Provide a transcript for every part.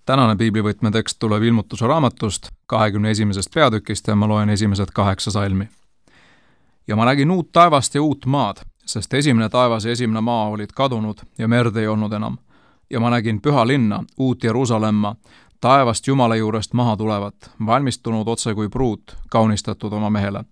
Tänane piiblivõtme tekst tuleb Ilmutuse raamatust 21. peatükist ja ma loen esimesed 8 salmi. Ja ma nägin uut taevast ja uut maad, sest esimene taevas ja esimene maa olid kadunud ja merd ei olnud enam. Ja ma nägin püha linna, uut Jeruusalemma, taevast Jumala juurest maha tulevat, valmistunud otse kui pruut, kaunistatud oma mehele.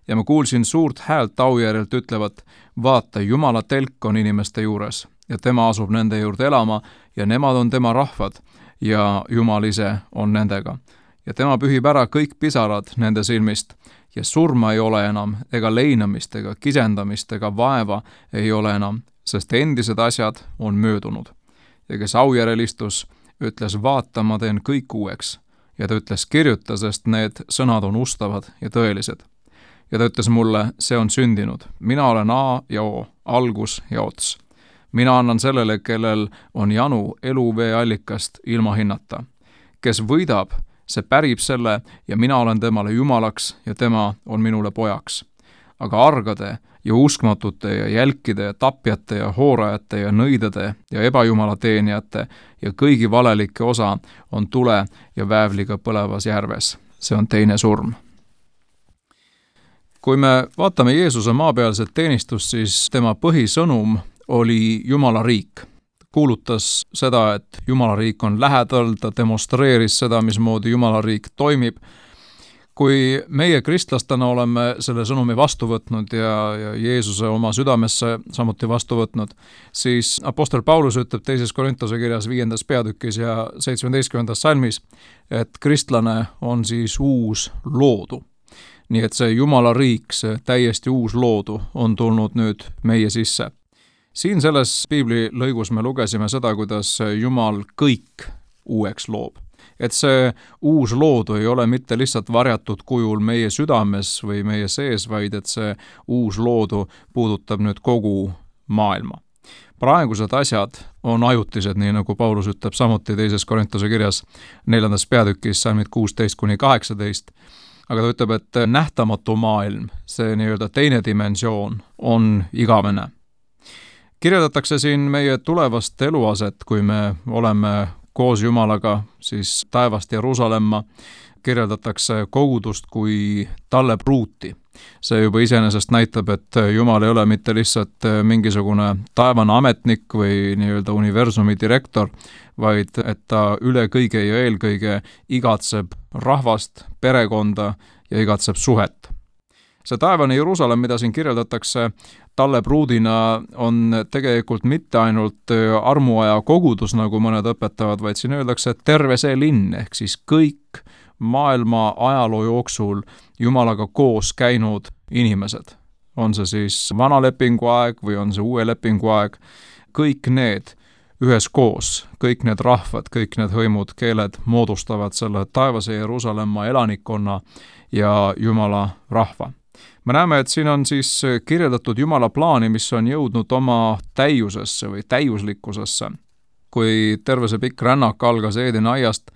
Ja ma kuulsin suurt häält aujärjelt ütlevat, vaata, Jumala telk on inimeste juures ja tema asub nende juurde elama ja nemad on tema rahvad ja Jumal ise on nendega. Ja tema pühib ära kõik pisarad nende silmist ja surma ei ole enam, ega leinamist, ega kisendamist, ega vaeva ei ole enam, sest endised asjad on möödunud. Ja kes aujärel istus, ütles, vaata, ma teen kõik uueks. Ja ta ütles, kirjuta, sest need sõnad on ustavad ja tõelised. Ja ta ütles mulle, see on sündinud. Mina olen A ja O, algus ja ots. Mina annan sellele, kellel on janu eluvee allikast ilma hinnata. Kes võidab, see pärib selle ja mina olen temale jumalaks ja tema on minule pojaks. Aga argade ja uskmatute ja jälkide ja tapjate ja hoorajate ja nõidade ja ebajumala teenijate ja kõigi valelike osa on tule ja väävliga põlevas järves. See on teine surm. Kui me vaatame Jeesuse maapealset teenistust, siis tema põhisõnum oli Jumala riik. Kuulutas seda, et Jumala riik on lähedal, ta demonstreeris seda, mismoodi Jumala riik toimib. Kui meie kristlastena oleme selle sõnumi vastu võtnud ja Jeesuse oma südamesse samuti vastu võtnud, siis apostel Paulus ütleb 2. Korintuse kirjas 5. peatükis ja 17. salmis, et kristlane on siis uus loodu. Nii et see Jumala riik, see täiesti uus loodu on tulnud nüüd meie sisse. Siin selles piibli lõigus me lugesime seda, kuidas Jumal kõik uueks loob. Et see uus loodu ei ole mitte lihtsalt varjatud kujul meie südames või meie sees, vaid et see uus loodu puudutab nüüd kogu maailma. Praegused asjad on ajutised, nii nagu Paulus ütleb samuti 2. Korintuse kirjas 4. peatükis salmid 16-18, aga ta ütleb, et nähtamatu maailm, see nii-öelda teine dimensioon on igavene. Kirjeldatakse siin meie tulevast eluaset, kui me oleme koos Jumalaga, siis taevast Jeruusalemma, kirjeldatakse kogudust kui talle pruuti. See juba iseenesest näitab, et Jumal ei ole mitte lihtsalt mingisugune taevane ametnik või nii-öelda universumi direktor, vaid et ta üle kõige ja eelkõige igatseb rahvast, perekonda ja igatseb suhet. See taevane Jeruusalemm, mida siin kirjeldatakse talle pruudina, on tegelikult mitte ainult armuaja kogudus, nagu mõned õpetavad, vaid siin öeldakse, et terve see linn, ehk siis kõik maailma ajaloo jooksul Jumalaga koos käinud inimesed. On see siis vana lepingu aeg või on see uue lepingu aeg, kõik need üheskoos, kõik need rahvad, kõik need hõimud, keeled moodustavad selle taevase Jeruusalemma elanikkonna ja Jumala rahva. Me näeme, et siin on siis kirjeldatud Jumala plaani, mis on jõudnud oma täiusesse või täiuslikkusesse. Kui terve see pikk rännak algas Eedeni aiast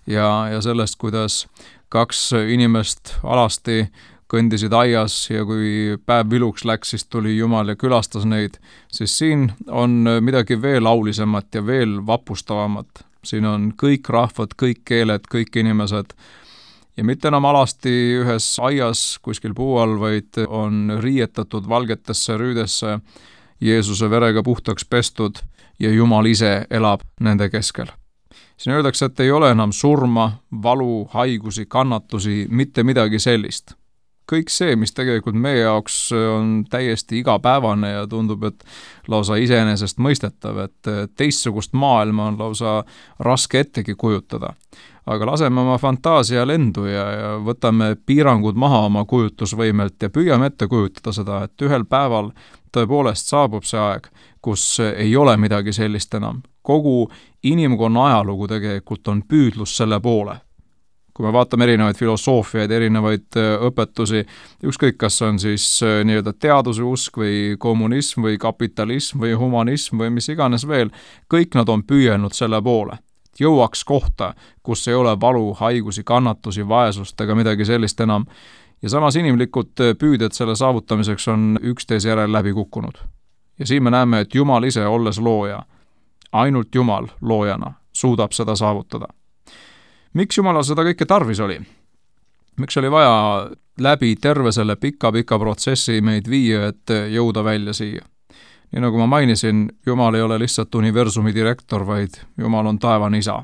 ja sellest, kuidas 2 inimest alasti kõndisid aias ja kui päev viluks läks, siis tuli Jumal ja külastas neid, siis siin on midagi veel aulisemat ja veel vapustavamat. Siin on kõik rahvad, kõik keeled, kõik inimesed ja mitte enam alasti ühes aias kuskil puu all, vaid on riietatud valgetesse rüüdesse, Jeesuse verega puhtaks pestud ja Jumal ise elab nende keskel. Siin öeldakse, et ei ole enam surma, valu, haigusi, kannatusi, mitte midagi sellist. Kõik see, mis tegelikult meie jaoks on täiesti igapäevane ja tundub, et lausa iseenesest mõistetav, et teistsugust maailma on lausa raske ettegi kujutada. Aga laseme oma fantaasia lendu ja võtame piirangud maha oma kujutlusvõimelt ja püüame ette kujutada seda, et ühel päeval tõepoolest saabub see aeg, kus ei ole midagi sellist enam. Kogu inimkonna ajalugu tegelikult on püüdlus selle poole. Kui me vaatame erinevaid filosoofiaid, erinevaid õpetusi, ükskõik kas on siis nii-öelda teaduse usk või kommunism või kapitalism või humanism või mis iganes veel, kõik nad on püüelnud selle poole. Jõuaks kohta, kus ei ole valu, haigusi, kannatusi, vaesust ega midagi sellist enam. Ja samas inimlikud püüded selle saavutamiseks on üksteise järel läbi kukkunud. Ja siin me näeme, et Jumal ise olles looja, ainult Jumal loojana, suudab seda saavutada. Miks Jumalal seda kõike tarvis oli? Miks oli vaja läbi terve selle pika protsessi meid viia, et jõuda välja siia? Nii nagu ma mainisin, Jumal ei ole lihtsalt universumi direktor, vaid Jumal on taevane isa.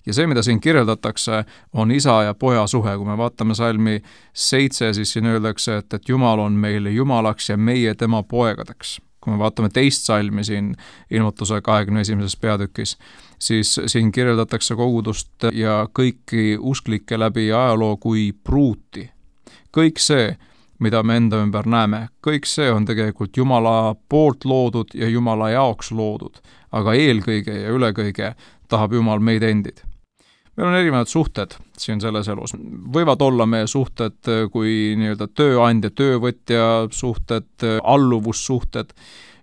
Ja see, mida siin kirjeldatakse, on isa ja poja suhe. Kui me vaatame salmi 7, siis siin öeldakse, et Jumal on meile Jumalaks ja meie tema poegadeks. Kui me vaatame teist salmi siin ilmutuse 21. peatükis, siis siin kirjeldatakse kogudust ja kõiki usklikke läbi ajaloo kui pruuti. Kõik see, mida me enda ümber näeme, kõik see on tegelikult Jumala poolt loodud ja Jumala jaoks loodud, aga eelkõige ja ülekõige tahab Jumal meid endid. Meil on erinevad suhted siin selles elus. Võivad olla meie suhted kui nii-öelda tööandja, töövõtja suhted, alluvussuhted.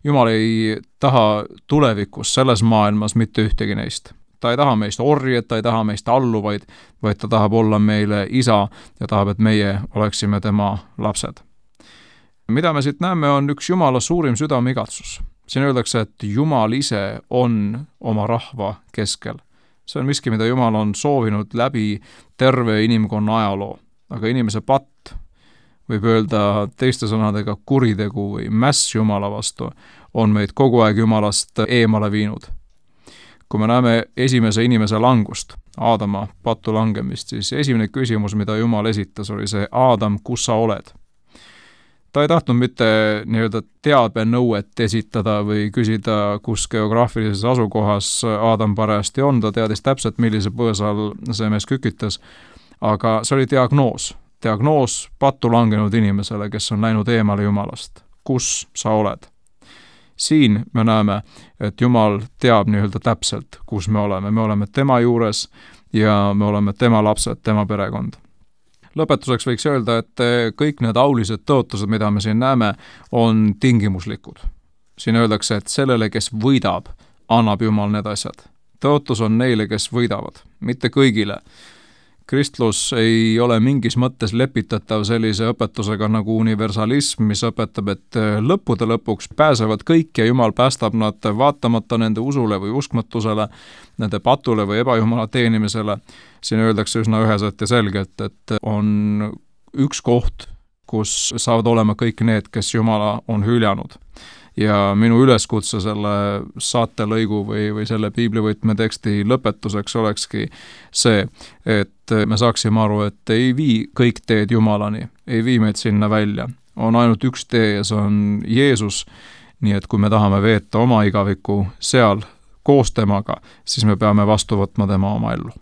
Jumal ei taha tulevikus selles maailmas mitte ühtegi neist. Ta ei taha meist orjed, ta ei taha meist alluvaid, vaid ta tahab olla meile isa ja tahab, et meie oleksime tema lapsed. Mida me siit näeme, on üks Jumala suurim südameigatsus. Siin öeldakse, et Jumal ise on oma rahva keskel. See on miski, mida Jumal on soovinud läbi terve inimkonna ajaloo. Aga inimese patt, võib öelda teiste sõnadega kuritegu või mäss Jumala vastu, on meid kogu aeg Jumalast eemale viinud. Kui me näeme esimese inimese langust, Aadama pattu langemist, siis esimene küsimus, mida Jumal esitas, oli see: Aadam, kus sa oled? Ta ei tahtnud mitte nii-öelda teabenõuet esitada või küsida, kus geograafilises asukohas Aadam parajasti on, ta teadis täpselt, millise põõsa all see mees kükitas, aga see oli diagnoos pattu langenud inimesele, kes on läinud eemale Jumalast. Kus sa oled? Siin me näeme, et Jumal teab nii-öelda täpselt, kus me oleme tema juures ja me oleme tema lapsed, tema perekond. Lõpetuseks võiks öelda, et kõik need aulised tõotused, mida me siin näeme, on tingimuslikud. Siin öeldakse, et sellele, kes võidab, annab Jumal need asjad. Tõotus on neile, kes võidavad, mitte kõigile. Kristlus ei ole mingis mõttes lepitatav sellise õpetusega nagu universalism, mis õpetab, et lõppude lõpuks pääsevad kõik ja Jumal päästab nad vaatamata nende usule või uskmatusele, nende patule või ebajumala teenimisele. Siin öeldakse üsna üheselt ja selgelt, et on üks koht, kus saavad olema kõik need, kes Jumala on hüljanud. Ja minu üleskutse selle saatelõigu või selle piiblivõtme teksti lõpetuseks olekski see, et me saaksime aru, et ei vii kõik teed Jumalani, ei vii meid sinna välja. On ainult üks tee ja see on Jeesus, nii et kui me tahame veeta oma igaviku seal koos temaga, siis me peame vastu võtma tema oma ellu.